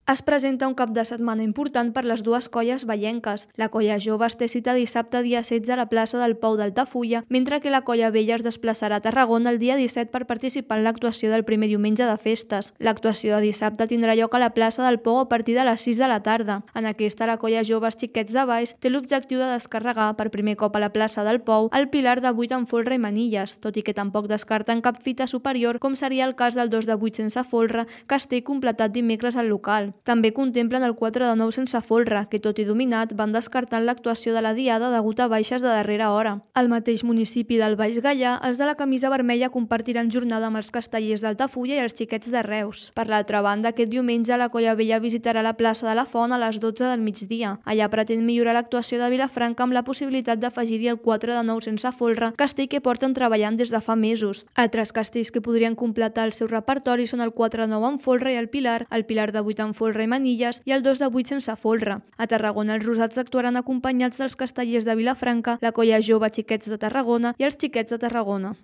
Es presenta un cap de setmana important per les dues colles vallenques. La colla Joves té cita dissabte dia 16 a la plaça del Pou d'Altafulla, mentre que la colla Vella es desplaçarà a Tarragona el dia 17 per participar en l'actuació del primer diumenge de festes. L'actuació de dissabte tindrà lloc a la plaça del Pou a partir de les 6 de la tarda. En aquesta, la colla Joves Xiquets de Valls té l'objectiu de descarregar per primer cop a la plaça del Pou el pilar de 8 amb folre i manilles, tot i que tampoc descarten cap fita superior, com seria el cas del 2 de 8 sense folre, que es té completat dimecres al local. També contemplen el 4 de 9 sense folre, que tot i dominat van descartant l'actuació de la diada degut a baixes de darrera hora. Al mateix municipi del Baix Gaià, els de la camisa vermella compartiran jornada amb els castellers d'Altafulla i els xiquets de Reus. Per l'altra banda, aquest diumenge la colla Vella visitarà la plaça de la Font a les 12 del migdia. Allà pretén millorar l'actuació de Vilafranca amb la possibilitat d'afegir-hi el 4 de 9 sense folre, castell que porten treballant des de fa mesos. Altres castells que podrien completar el seu repertori són el 4 de 9 amb folre i el pilar de 8 amb folre i manilles i el 2 de 8 sense folre. A Tarragona els rosats actuaran acompanyats dels castellers de Vilafranca, la colla Jove Xiquets de Tarragona i els Xiquets de Tarragona.